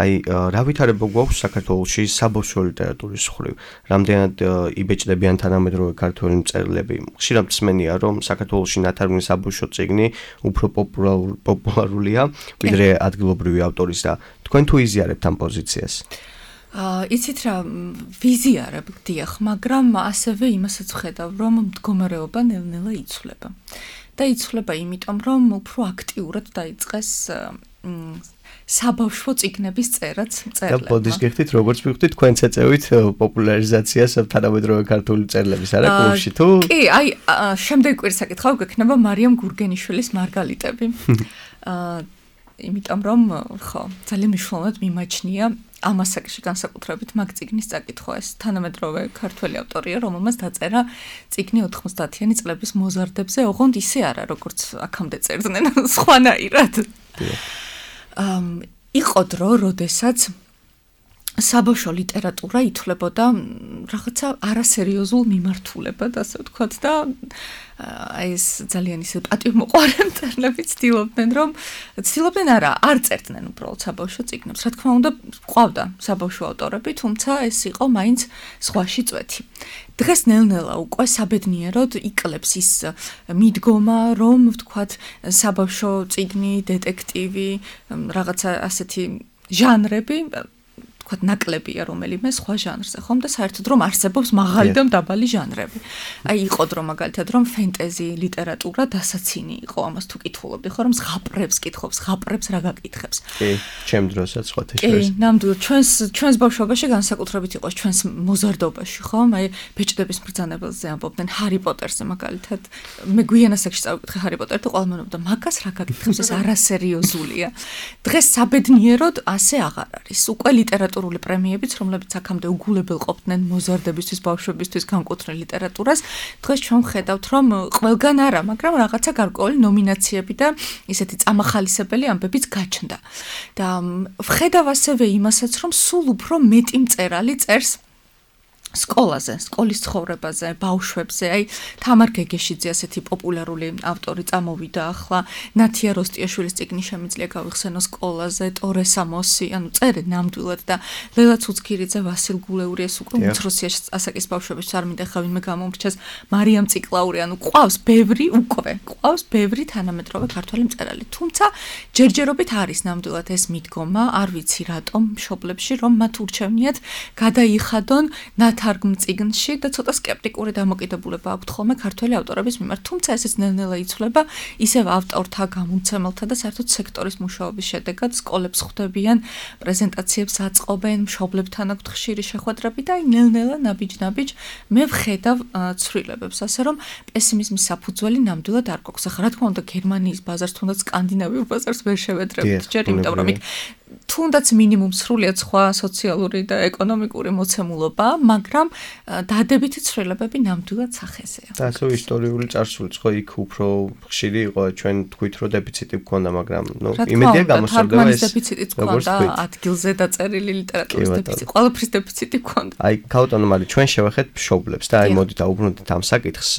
აი რა ვითარება გვაქვს საქართველოში საბავშვო ლიტერატურის მხრივ? რამდენად იბეჭდებიან თანამედროვე ქართველი მწერლები? ხშირად მსმენია, რომ საქართველოში ნათარგმნი საბავშვო წიგნი უფრო პოპულარულია, ვიდრე ადგილობრივი ავტორის და თქვენ თუ იზიარებთ ამ პოზიციას? იცით რა, ვიზიარებ, დიახ, მაგრამ ასევე იმასაც ვხედავ, რომ მდგომარეობა ნელ-ნელა იცვლება. და იცვლება იმიტომ, რომ უფრო აქტიურად დაიწყეს საბავშვო წიგნების წერაც მწერლებმა. და ბოდის გიხდით, როგორც ვიხდით, თქვენც ეწევით პოპულარიზაციას თანამედროვე ქართული მწერლების არა კლუბში თუ? კი, აი, შემდეგი კვირის საკითხავ გექნება მარიამ გურგენიშვილის მარგალიტები. იმიტომ რომ ხო, ძალიან მნიშვნელოვნად მიმაჩნია ამ ასაკში განსაკუთრებით მაგ წიგნის წაკითხვა. ეს თანამედროვე ქართველი ავტორია, რომელმაც დაწერა წიგნი 90-იანი წლების მოზარდებზე, ოღონდ ისე არა, როგორც აქამდე წერდნენ, სხვანაირად. იყო დრო, როდესაც საბავშვო ლიტერატურა ითვლებოდა რაღაცა არასერიოზულ მიმართულებად, ასე ვთქვათ და ეს ძალიან ისე პატივმოყვარე მწერლები ცდილობდნენ არა, არ წერდნენ უბრალოდ საბავშვო წიგნებს. რა თქმა უნდა, ყავდა საბავშვო ავტორები, თუმცა ეს იყო მაინც ზღვაში წვეთი. დღეს ნელ-ნელა უკვე საბედნიეროდ იკლებს ის მიდგომა, რომ ვთქვათ, საბავშვო წიგნი, დეტექტივი, რაღაცა ასეთი ჟანრები ნაკლებია რომელიმე სხვა ჟანრზე, ხომ და საერთოდ რომ არსებობს მაღალი და დაბალი ჟანრები. აი იყო დრო მაგალითად რომ ფენტეზი ლიტერატურა დასაცინი იყო, ამას თუ კითხულობდი, ხო რომ ზღაპრებს კითხობს, ზღაპრებს რა გაკითხებს. კი, ჩემ დროსაც სხვათა შორის. კი, ნამდვილად ჩვენს ბავშვობაში განსაკუთრებით იყო ჩვენს მოზარდობაში, ხომ? აი ბეჭდების მბრძანებელზე ამბობდნენ ჰარი პოტერზე მაგალითად. მე გვიან ასაკში წავიკითხე ჰარი პოტერი და ყველა მეუბნებოდა, მაგას რა გაკითხებს, ეს არასერიოზულია. დღეს საბედნიეროდ ასე აღარ არის. უკვე ლიტერატურული პრემიებიც, რომლებიც აქამდე უგულებელ ყოფდნენ მოზარდებისთვის, ბავშვებისთვის განკუთვნილ ლიტერატურას, დღეს ჩვენ ვხედავთ, რომ ყველგან არა, მაგრამ რაღაცა გარკვეული ნომინაციები და ისეთი წამახალისებელი ამბებიც გაჩნდა. და ვხედავ ასევე იმასაც, რომ სულ უფრო მეტი მწერალი წერს სკოლაზე, სკოლის ცხოვრებაზე, ბავშვებზე, აი თამარ გეგეშიძე ასეთი პოპულარული ავტორი წამოვიდა ახლა, ნათია როსტიაშვილის წიგნი შემიძლია გავიხსენო სკოლაზე, ტორე სამოსი, ანუ წერენ ნამდვილად და ლელა ცუცქირიძე, ვასილ გულეული ეს უკვე უმცროსი ასაკის ბავშვებისთვის არ მინდა ხა ვინმე გამომრჩეს, მარიამ ციკლაური, ანუ ყავს ბევრი თანამედროვე ქართველი მწერალი. თუმცა ჯერჯერობით არის ნამდვილად ეს მიდგომა, არ ვიცი რატომ მშობლებში, რომ მათ ურჩევნიათ გადაიხადონ თარგმნ წიგნში და ცოტა სკეპტიკური დამოკიდებულება აქვთ ხოლმე ქართველი ავტორების მიმართ, თუმცა ესეც ნელ-ნელა იცვლება, ისევ ავტორთა, გამომცემელთა და საერთოდ სექტორის მუშაობის შედეგად სკოლებს ხვდებიან, პრეზენტაციებს აწყობენ, მშობლებთან აქვთ ხშირი შეხვედრები და აი ნელ-ნელა ნაბიჯ-ნაბიჯ მე ვხედავ ცვლილებებს, ასე რომ პესიმიზმის საფუძველი ნამდვილად არ გვაქვს. ახლა რა თქმა უნდა, გერმანიის ბაზარს, თუნდაც სკანდინავიურ ბაზარს ვერ შევედრებთ ჯერ, იმიტომ რომ იქ თუნდაც მინიმუმ სრულიად სხვა სოციალური და ეკონომიკური მოცემულობა, მაგრამ დადებითი ცვლილებები ნამდვილად სახეზეა. და ასე ისტორიული წარსულიც ხო იქ უფრო ხშირი იყო, ჩვენ თქვით რომ დეფიციტი გქონდა, მაგრამ იმედია გამოსწორდება ეს. დეფიციტიც გქონდა, ადგილზე დაწერილი ლიტერატურის დეფიციტი, ყველაფრის დეფიციტი გქონდა. აი ქაუტონო მარი, ჩვენ შევეხეთ მშობლებს და აი მოდით აუბრუნდით ამ საკითხს.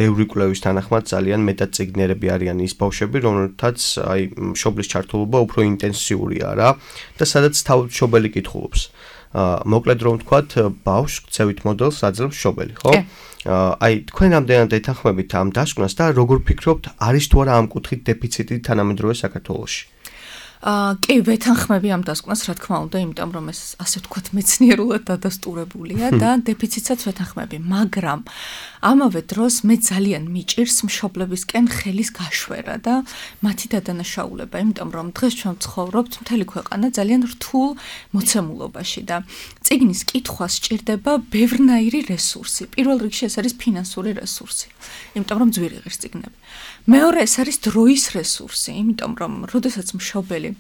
ბევრი კვლევის თანახმად ძალიან მეტად წიგნიერები არიან ის ბავშვები, რომელთაც აი მშობლის ჩართულობა უფრო ინტენსიურია რა და სადაც თავმშობელი კითხულობს. მოკლედ რომ ვთქვათ, ბავშვს ქცევით მოდელს აძლევს მშობელი, ხო? აი თქვენ ამდენად ეთანხმებით ამ დასკვნას და როგორ ფიქრობთ, არის თუ არა ამ კუთხით დეფიციტი თანამედროვე საქართველოში? კი, ვეთანხმები ამ დასკვნას, რა თქმა უნდა, იმიტომ რომ ეს ასე ვთქვათ მეცნიერულად დადასტურებულია და დეფიციტსაც ვეთანხმები, მაგრამ ამავე დროს მე ძალიან მიჭირს მშობლებისკენ ხელის გაშვერა და მათი დადანაშაულება, იმიტომ რომ დღეს ჩვენ ვცხოვრობთ მთელი ქვეყანა ძალიან რთულ მოცემულობაში და წიგნის კითხვა სჭირდება ბევრნაირი რესურსი. პირველ რიგში ეს არის ფინანსური რესურსი, იმიტომ რომ ძვირი ღირს წიგნები. მეორე ეს არის დროის რესურსი, იმიტომ რომ როდესაც მშობელი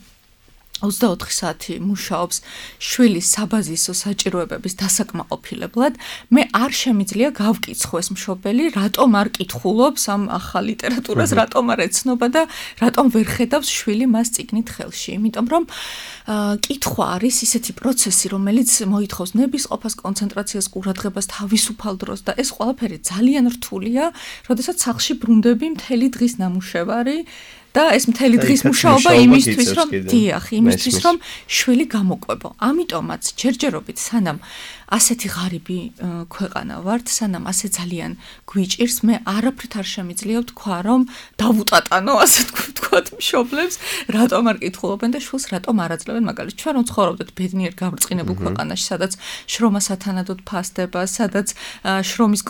24 საათი მუშაობს შვილის საბაზისო საჭიროებების დასაკმაყოფილებლად, მე არ შემიძლია გავკითხო ეს მშობელი, რატომ არ კითხულობს ამ ახალ ლიტერატურას, რატომ არ ეცნობა და რატომ ვერ ხედავს შვილი მას წიგნით ხელში. იმიტომ რომ კითხვა არის ისეთი პროცესი, რომელიც მოითხოვს ნებისყოფას, კონცენტრაციას, ყურადღებას, თავისუფალ დროს და ეს ყველაფერი ძალიან რთულია, როდესაც სახლში ბრუნდები მთელი დღის ნამუშევარი და ეს მთელი დღის მუშაობა იმისთვის რომ შვილი გამოყვებო. ამიტომაც ჯერჯერობით სანამ ასეთი ღარიბი ქვეყანა ვართ, სანამ ასე ძალიან გვიჭირს, მე არაფრით არ შემიძლია ვთქვა, რომ დავუტატანო, ასე ვთქვათ, მშობლებს, რატომ არ კითხულობენ და შვილს რატომ არ აძლევენ, მაგალითად, ჩვენ რომ ცხოვრობდეთ ბედნიერ გაბრწყინებულ ქვეყანაში, სადაც შრომა სათანადოდ ფასდება, სადაც შრომის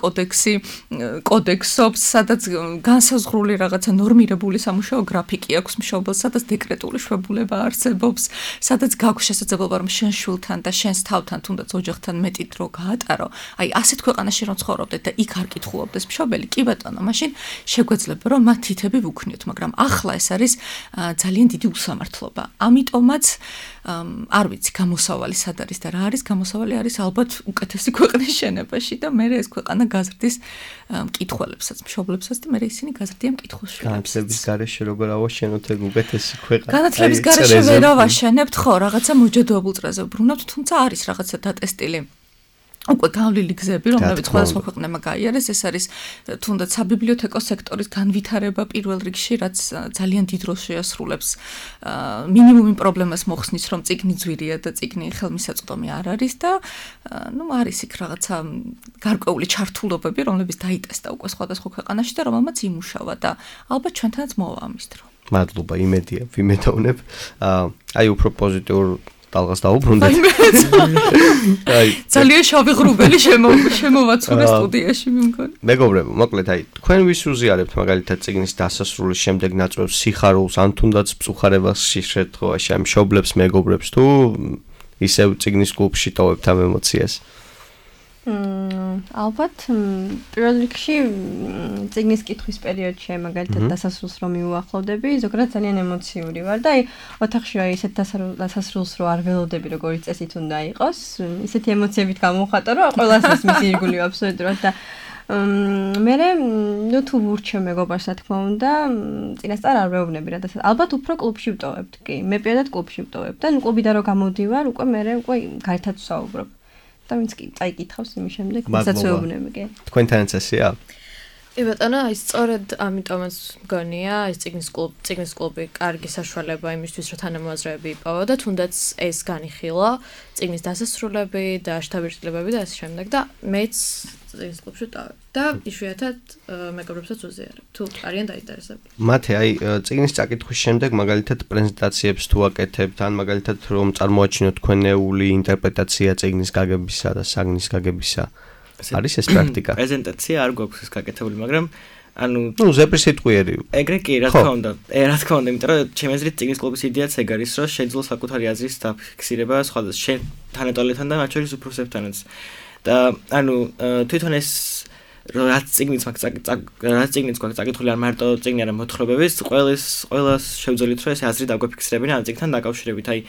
კოდექსობს, სადაც განსაზღვრული რაღაცა ნორმირებული სამუშაო გრაფიკი აქვს მშობელს, სადაც დეკრეტული შვებულება არსებობს, სადაც გაქვს შესაძლებლობა რომ შენ შვილთან და შენს თავთან, თუნდაც ოჯახთან მეტი დრო გაატარო. აი, ასეთ ქვეყანაში რომ ცხოვრობდეთ და იქ არ კითხულობდეს მშობელი, კი ბატონო, მაშინ შეგვეძლება რომ მათ თითები ვუქნიოთ, მაგრამ ახლა ეს არის ძალიან დიდი უსამართლობა. ამიტომაც არ ვიცი გამოსავალი სად არის და რა არის გამოსავალი არის ალბათ უკეთესი ქვეყნის შენებაში და მე ეს ქვეყანა გაზრდის მკითხველებსაც, მშობლებსაც და მე ისინი გაზრდიან მკითხველს. განათლების გარეშე როგორ ავაშენოთ ეგ უკეთესი ქვეყანა? განათლების გარეშე ვერ ავაშენებთ, ხო, რაღაცა მოჯადოებულ წრეზე ვბრუნავთ, თუმცა არის რაღაცა დატესტილი უკვე გავლილი გზები, რომლებიც სხვადასხვა ქვეყნებმა გაიარეს, ეს არის თუნდაც საბიბლიოთეკო სექტორის განვითარება პირველ რიგში, რაც ძალიან დიდ როლს შეასრულებს მინიმუმ პრობლემას მოხსნის, რომ წიგნი ძვირია და წიგნი ხელმისაწვდომი არ არის და არის იქ რაღაცა გარკვეული ჩართულობები, რომლებიც დაიტესტა უკვე სხვადასხვა ქვეყანაში და რომელმაც იმუშავა და ალბათ ჩვენთანაც მოვა ამის დრო. მადლობა, იმედია, ვიმედოვნებ. აი უფრო პოზიტიურ დალღას დაუბრუნდეთ. ძალიან შავი ღრუბელი შემოვაცურე სტუდიაში მე მგონი. მეგობრებო, მოკლედ აი თქვენ ვის უზიარებთ მაგალითად წიგნის დასასრულის შემდეგ ნაწყვეტს სიხარულს ან თუნდაც მწუხარებას შემთხვევაში ამ მშობლებს, მეგობრებს თუ ისევ წიგნის კლუბში ტოვებთ ამ ემოციას? ალბათ პირველ რიგში წიგნის კითხვის პერიოდში მაგალითად დასასრულს რომ მიუახლოვდები, ზოგადად ძალიან ემოციური ვარ და აი ოთახში რა ისეთ დასასრულს რო არ ველოდები როგორიც წესით უნდა იყოს, ისეთი ემოციებით გამოვხატო რომ ყველას ეს მისი ირგული აბსოლუტურად და მე თუ ვურჩევ მეგობარს რა თქმა უნდა, წინასწარ არ ვეუბნები რა და ალბათ უფრო კლუბში ვტოვებთ კი, მე პირადად კლუბში ვტოვებ და კლუბიდან რო გამოდივარ, უკვე გარეთაც ვსაუბრობ. და ვინც კი წაიკითხავს იმის შემდეგ, ვისაც ვეუბნები კი. თქვენთანაც ესეა? კი ბატონო, აი სწორედ ამიტომაც მგონია, ეს წიგნის კლუბი კარგი საშუალება იმისთვის, რომ თანამოაზრეები იპოვო და თუნდაც ეს განიხილა, წიგნის დასასრულები და შთაბეჭდილებები და ასე შემდეგ და მეც წიგნის კლუბში ვტოვებ და იშვიათად მეგობრებსაც ვუზიარებ, თუ არიან დაინტერესებული. მათე, აი წიგნის წაკითხვის შემდეგ მაგალითად პრეზენტაციებს თუ აკეთებთ, ან მაგალითად რომ წარმოაჩინოთ თქვენეული ინტერპრეტაცია წიგნის გაგებისა და საგნის გაგებისა. არის ეს პრაქტიკა? პრეზენტაცია არ გვაქვს ეს გაკეთებული, მაგრამ ზეპრის სიტყვიერი. ეგრე კი, რა თქმა უნდა, იმიტომ რომ ჩემი აზრით წიგნის კლუბის იდეაც ეგ არის, რომ შეძლო საკუთარი აზრის დაფიქსირება სხვადასხვა შენ თანატოლებთან და მათ შორის უფროსებთანაც. და თვითონ ეს რაც წიგნიც გვაქვს წაკითხული არ მარტო წიგნი არა მოთხრობების, ყველას შევძელით რომ ეს აზრი დაგვაფიქსირებინა ამ წიგნთან დაკავშირებით. აი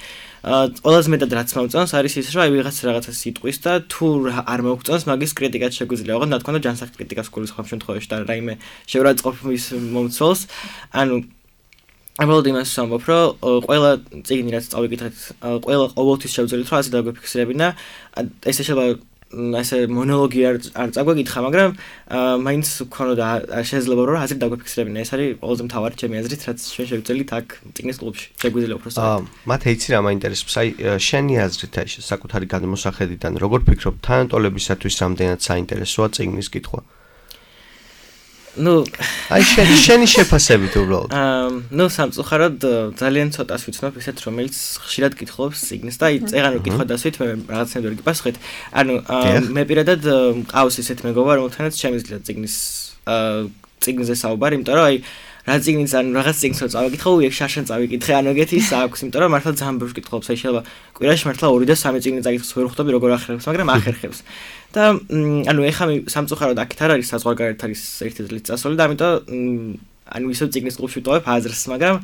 ყველაზე მეტად რაც მომწონს არის ის, რომ აი რაღაცა სიტყვის და თუ არ მოგწონს, მაგის კრიტიკაც შეგვიძლია. ოღონდ რა თქმა უნდა ჯანსაღ კრიტიკას გულისხმობ ამ შემთხვევაში და რაიმე შეურაცხყოფის მომცველს. ამბობ იმას ვამბობ, რომ ყველა წიგნი რაც წავიკითხეთ, ყველა ყოველთვის შევძელით რომ აზრი დაგვაფიქსირებინა. ესე შეიძლება ასე მონოლოგი არ წაგვეკითხა, მაგრამ მაინც გქონოდა შესაძლებლობა რომ აზრი დაგვაფიქსირებინა. ეს არის ყველაზე მთავარი ჩემი აზრით, რაც ჩვენ შევძელით აქ წიგნის კლუბში. შეგვიძლია უფრო სწორად. მათ იცი რა მაინტერესებს, აი შენი აზრით აი საკუთარი გადმოსახედიდან როგორ ფიქრობ, თანატოლებისათვის რამდენად საინტერესოა წიგნის კითხვა? აი შენი შეფასებით უბრალოდ. სამწუხაროდ ძალიან ცოტას ვიცნობ ისეთ, რომელიც ხშირად კითხულობს წიგნს და აი წეღან რო კითხვა დასვით, მე რაღაცნაირად ვერ გიპასუხეთ. მე პირადად მყავს ისეთ მეგობრა, რომელთანაც შემიძლია წიგნზე საუბარი, იმიტომ რომ აი რა წიგნიც ან რაღაც წიგნს რო წავიკითხო, იქ შარშან წავიკითხე, ეგეთი ის აქვს, იმიტომ რომ მართლა ძალიან ბევრს კითხულობს, აი შეიძლება კვირაში მართლა 2 და 3 წიგნი წაკითხოს, ვერ ხვდები როგორ ახერხებს, მაგრამ ახერხებს. და ეხლა სამწუხაროდ აქეთ არ არის საზღვარგარეთ არის ერთი წლის წასული და ამიტომ ისევ წიგნის კლუბში ვტოვებ აზრს, მაგრამ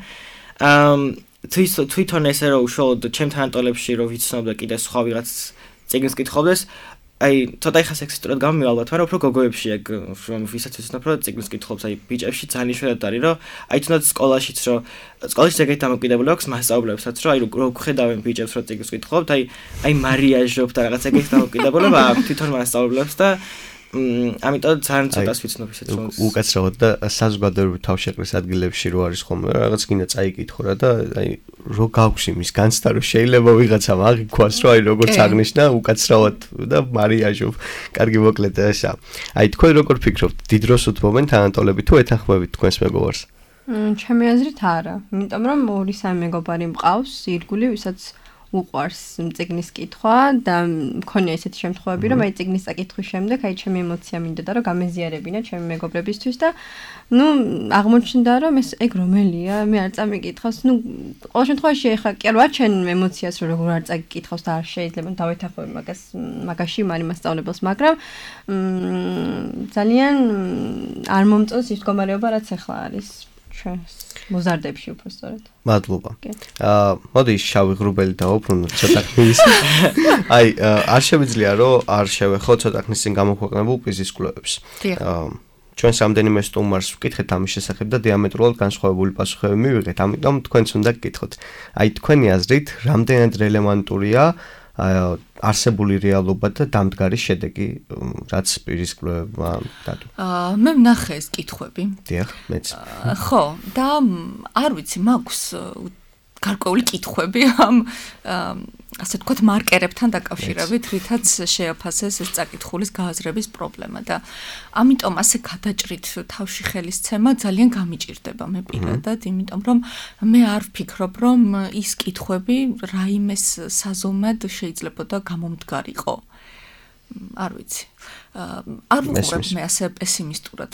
თვითონ ესე რომ უშუალოდ ჩემ თანატოლებში რომ ვიცნობ და კიდე სხვა ვიღაც წიგნს კითხავდეს, აი ცოტა ხა სექსისტურად გამომივალოთ, მაგრამ უფრო გოგოებში ეგ რომ ვისაც ვიცნობ რომ წიგნს კითხულობს, აი ბიჭებში ძალიან იშვიათად არის რომ აი თუნდაც სკოლაშიც რომ სკოლაში ეგეთი დამოკიდებული აქვს მასწავლებლებსაც რომ აი რო ხედავენ ბიჭებს რომ წიგნს კითხულობთ, აი მარიაჟობ და რაღაც ეგეთი დამოკიდებულება აქვს თვითონ მასწავლებლებს და ამიტომ ძალიან ცოტას ვიცნობ ისეთ რომ უკაცრავად და საზოგადოებრივ თავშეყრის ადგილებში რო არის ხოლმე რაღაც გინდა წაიკითხო რა და აი რო გაქვს იმის განცდა რომ შეიძლება ვიღაცამ აღიქვას რომ აი როგორც აღნიშნა უკაცრავად და მარიაჟობ. კარგი მოკლედ ესა. აი თქვენ როგორ ფიქრობთ, დიდ დროს უთმობენ თანატოლები თუ ეთანხმებით თქვენს მეგობარს? ჩემი აზრით არა, იმიტომ რომ 2-3 მეგობარი მყავს ირგული, ვისაც უყვარს წიგნის კითხვა და მქონია ესეთი შემთხვევები, რომ აი წიგნის წაკითხვის შემდეგ აი ჩემი ემოცია მინდოდა რომ გამეზიარებინა ჩემი მეგობრებისთვის და აღმოჩნდა რომ ეს ეგ რომელია, მე არ წამიკითხავს. ყოველ შემთხვევაში ეხლა კი არ ვაჩენ ემოციას რომ როგორ არ წაკითხავს და არ შეიძლება დავეთანხმები მაგაში მასწავლებელს, მაგრამ ძალიან არ მომწონს ის მდგომარეობა რაც ეხლა არის ჩვენს. მოზარდებში უფრო სწორად. მადლობა. მოდი შავი ღრუბელი დავუბრუნოთ ცოტა ხნის. აი, არ შემიძლია რომ არ შევეხო ცოტა ხნის წინ გამოქვეყნებულ კვიზის კვლევებს. ჩვენს რამდენიმე სტუმარს ვკითხეთ ამის შესახებ და დიამეტრულად განსხვავებული პასუხები მივიღეთ, ამიტომ თქვენც უნდა გკითხოთ. აი, თქვენი აზრით, რამდენად რელევანტურია არსებული რეალობა და დამდგარი შედეგი, რაც პირის კვლევებმა დადო. მე ვნახე ეს კითხვები. დიახ, მეც. ხო, და არ ვიცი, მაქვს გარკვეული კითხვები ამ ასე ვთქვათ მარკერებთან დაკავშირებით, რითაც შეაფასეს ეს წაკითხulis გააზრების პრობლემა და ამიტომ ასე გადაჭრით თავში ხელისცემა ძალიან გამიჭირდება მე პირადად, იმიტომ რომ მე არ ვფიქრობ, რომ ის კითხვები რაიმეს საზომად შეიძლებოდა გამომდგარიყო. არ ვიცი. არ ვუყურებ მე ასე პესიმისტურად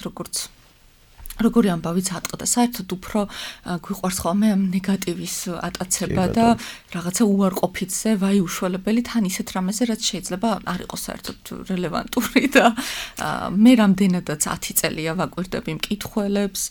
როგორი ამბავიც ატყდა, საერთოდ უფრო გვიყვარს ხოლმე ნეგატივის ატაცება და რაღაცა უარყოფითზე, ვაი უშველებელი თან ისეთ რამეზე, რაც შეიძლება არ იყოს საერთოდ რელევანტური და მე რამდენადაც 10 წელია ვაკვირდები მკითხველებს,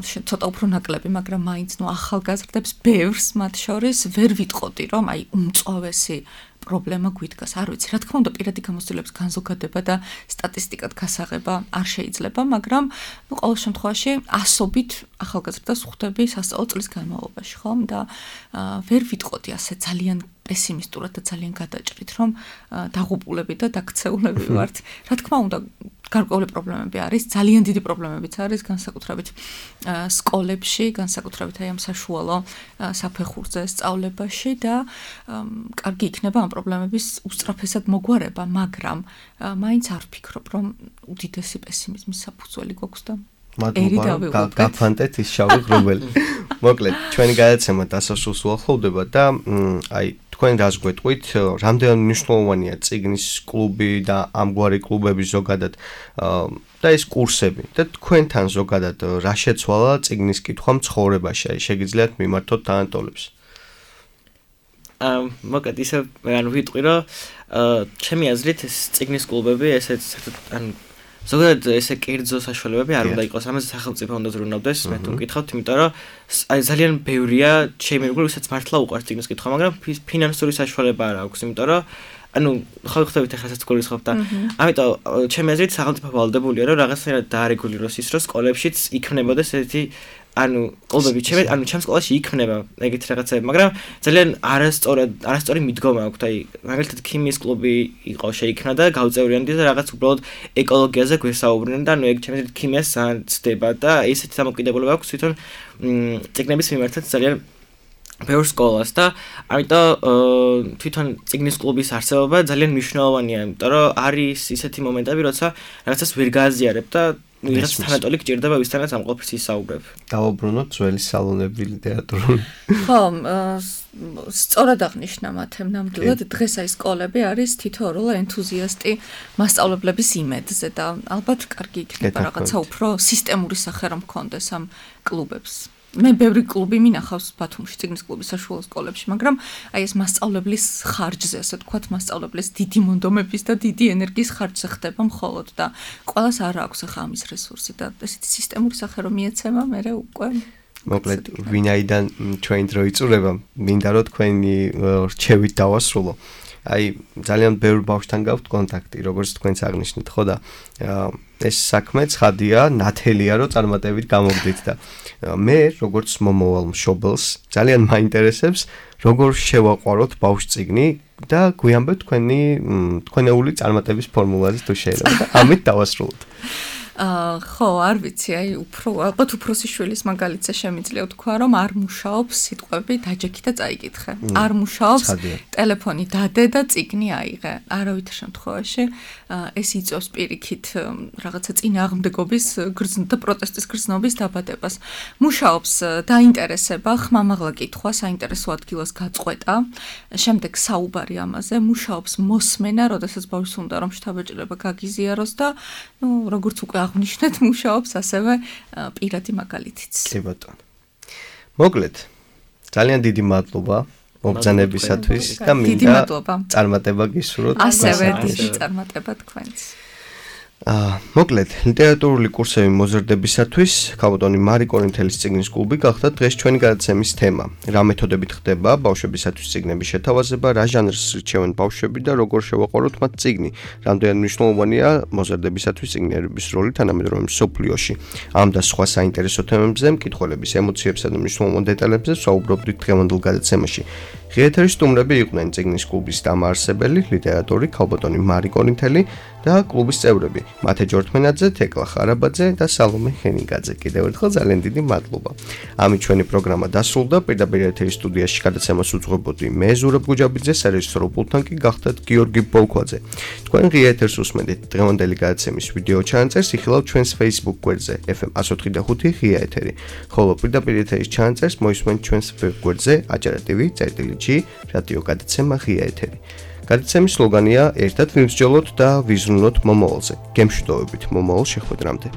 ცოტა უფრო ნაკლები, მაგრამ მაინც ახალგაზრდებს ბევრს მათ შორის ვერ ვიტყოდი, რომ აი უმწვავესი პრობლემა გვიდგას. არ ვიცი, რა თქმა უნდა, პირადი გამოცდილების განზოგადება და სტატისტიკად გასაღება არ შეიძლება, მაგრამ ყოველ შემთხვევაში ასობით ახალგაზრდას ხვდები სასწავლო წლის განმავლობაში, ხომ? და ვერ ვიტყოდი ასე ძალიან პესიმისტურად და ძალიან გადაჭრით, რომ დაღუპულები და დაქცეულები ვართ. რა თქმა უნდა, გარკვეული პრობლემები არის, ძალიან დიდი პრობლემებიც არის, განსაკუთრებით სკოლებში, განსაკუთრებით აი ამ საშუალო საფეხურზე სწავლებაში და კარგი იქნება ამ პრობლემების უსწრაფესად მოგვარება, მაგრამ მაინც არ ვფიქრობ, რომ უდიდესი პესიმიზმის საფუძველი გვაქვს და მადლობა, გაფანტეთ ის შავი ღრუბელი. მოკლედ, ჩვენი გადაცემა დასასრულს უახლოვდება და აი თქვენ რას გვეტყვით, რამდენად მნიშვნელოვანია წიგნის კლუბი და ამგვარი კლუბები ზოგადად და ეს კურსები და თქვენთან ზოგადად რა შეცვალა წიგნის კითხვა ცხოვრებაში, აი შეგიძლიათ მიმართოთ თანატოლებს. მოკლედ ისე ანუ ვიტყვი რომ ჩემი აზრით ეს წიგნის კლუბები ესეც ანუ ზოგადად ესე კერძო საშუალებები არ უნდა იყოს, ამაზე სახელმწიფო უნდა ზრუნავდეს, მე თუ მკითხავთ, იმიტომ რომ აი ძალიან ბევრია ჩემი მეგობრები, ვისაც მართლა უყვარს წიგნის კითხვა, მაგრამ ფინანსური საშუალება არ აქვს, იმიტომ რომ ანუ ხო ხვდებით ახლა საერთოდ გულისხმობ და ამიტომ ჩემი აზრით სახელმწიფო ვალდებულია რომ რაღაცნაირად დაარეგულიროს ის რომ სკოლებშიც იქნებოდეს ესეთი ანუ კლუბები ანუ ჩემს სკოლაში იქნება ეგეთი რაღაცები, მაგრამ ძალიან არასწორი მიდგომა აქვს, აი მაგალითად ქიმიის კლუბი იყო შეიქმნა და გავწევრიანდი და რაღაც უბრალოდ ეკოლოგიაზე გვესაუბრნენ და ანუ ეგ ჩემს აზრით ქიმიას სცდება და ესეთი დამოკიდებულება აქვს თვითონ წიგნების მიმართაც ძალიან ბევრ სკოლას და ამიტომ თვითონ წიგნის კლუბის არსებობა ძალიან მნიშვნელოვანია, იმიტომ რომ არის ისეთი მომენტები, როცა რაღაცას ვერ გააზიარებ და ვიღაც თანატოლი გჭირდება ვისთანაც ამ ყოფის ისაუბრებ. დავუბრუნოთ ძველი სალონები ლიტერატურული. ხო, სწორად აღნიშნა მათემ ნამდვილად დღეს აი სკოლები არის თითოეულ ენთუზიასტი მასწავლებლების იმედზე და ალბათ კარგი იქნება რაღაცა უფრო სისტემური სახე რომ მქონდეს ამ კლუბებს. მე ბევრი კლუბი მინახავს ბათუმში წიგნის კლუბის საშუალო სკოლებში, მაგრამ აი ეს მასწავლებლის ხარჯზე, ასე ვთქვათ, მასწავლებლის დიდი მონდომების და დიდი ენერგიის ხარჯზე ხდება მხოლოდ და ყველას არ აქვს ახლა ამის რესურსი და ესეთი სისტემური სახე რომ მიეცემა, მე უკვე მოკლედ ვინაიდან ჩვენ დრო იწურება, მინდა რომ თქვენი რჩევით დავასრულო. აი ძალიან ბევრ ბავშვთან გაქვთ კონტაქტი, როგორც თქვენც აღნიშნეთ, ხო და ეს საქმე ცხადია, ნათელია რომ წარმატებით გამოგდით და მე როგორც მომავალ მშობელს ძალიან მაინტერესებს როგორ შევაყვაროთ ბავშვს წიგნი და გვიამბეთ თქვენეული წარმატების ფორმულაზე თუ შეიძლება და ამით დავასრულოთ. ხო, არ ვიცი, აი ალბათ უფროსი შვილის მაგალითზე შემიძლია ვთქვა, რომ არ მუშაობს სიტყვები დაჯექი და წაიკითხე. არ მუშაობს ტელეფონი დადე და წიგნი აიღე. არავითარ შემთხვევაში ეს იწვევს პირიქით რაღაცა წინააღმდეგობის და პროტესტის გრძნობის დაბადებას. მუშაობს დაინტერესება, ხმამაღლა კითხვა, საინტერესო ადგილას გაწყვეტა, შემდეგ საუბარი ამაზე, მუშაობს მოსმენა, როდესაც ბავშვს უნდა რომ შთაბეჭდილება გაგიზიაროს და როგორც უკვე აღნიშნეთ, მუშაობს ასევე პირადი მაგალითიც. კი ბატონო. მოკლედ, ძალიან დიდი მადლობა მოგზანებისათვის და მინდა წარმატება გისურვოთ. ასევე დიდი წარმატება თქვენს. მოკლედ, ლიტერატურული კურსები მოზრდებისათვის ქალბატონი მარი კორინთელის წიგნის კლუბი გახდა დღეს ჩვენი გადაცემის თემა. რა მეთოდებით ხდება ბავშვებისათვის წიგნების შეთავაზება, რა ჟანრს რჩევენ ბავშვები და როგორ შევაყაროთ მათ წიგნი. რამდენად მნიშვნელოვანია მოზრდებისათვის წიგნიერების როლი თანამედროვე მსოფლიოში. ამ და სხვა საინტერესო თემებზე, მკითხველების ემოციებსა და მნიშვნელოვან დეტალებზე ვსაუბრობდით დღევანდელ გადაცემაში. ღიეთერის სტუმრები იყვნენ წიგნის კლუბის დამაარსებელი, ლიტერატორი ქალბატონი მარი კორინთელი და კლუბის წევრები მათე ჯორთმენაძე, თეკლა ხარაბაძე და სალომე ხენიგაძე. კიდევ ერთხელ ძალიან დიდი მადლობა. ამით ჩვენი პროგრამა დასრულდა. პირდაპირ ეთერის სტუდიაში გადაცემას უძღვებოდი მე ზურაბ გუჯაბიძე, სარეჟისორო პულტთან კი გახდათ გიორგი ბოლქვაძე. თქვენ ღიეთერს უსმენთ დღევანდელი გადაცემის ვიდეო ჩანაწერს იხილავთ ჩვენს Facebook გვერდზე FM 104.5 ღია ეთერი. ხოლო პირდაპირ ეთერის ჩანაწერს მოისმენთ ჩვენს web გვერდზე ajartv.g რადიო გადაცემა ღია ეთერი. გადაცემის სლოგანია ერთად ვიმსჯელოთ და ვიზრუნოთ მომავალზე. გემშვიდობებით მომავალ შეხვედრამდე.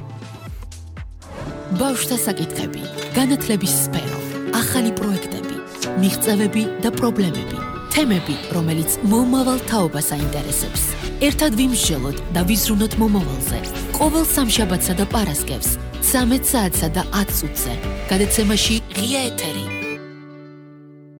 ბავშვთა საკითხები, განათლების სფერო, ახალი პროექტები, მიღწევები და პრობლემები, თემები, რომელიც მომავალ თაობას აინტერესებს. ერთად ვიმსჯელოთ და ვიზრუნოთ მომავალზე. ყოველ სამშაბათსა და პარასკევს 13 საათსა და 10 წუთზე. გადაცემაში ღია ეთერი.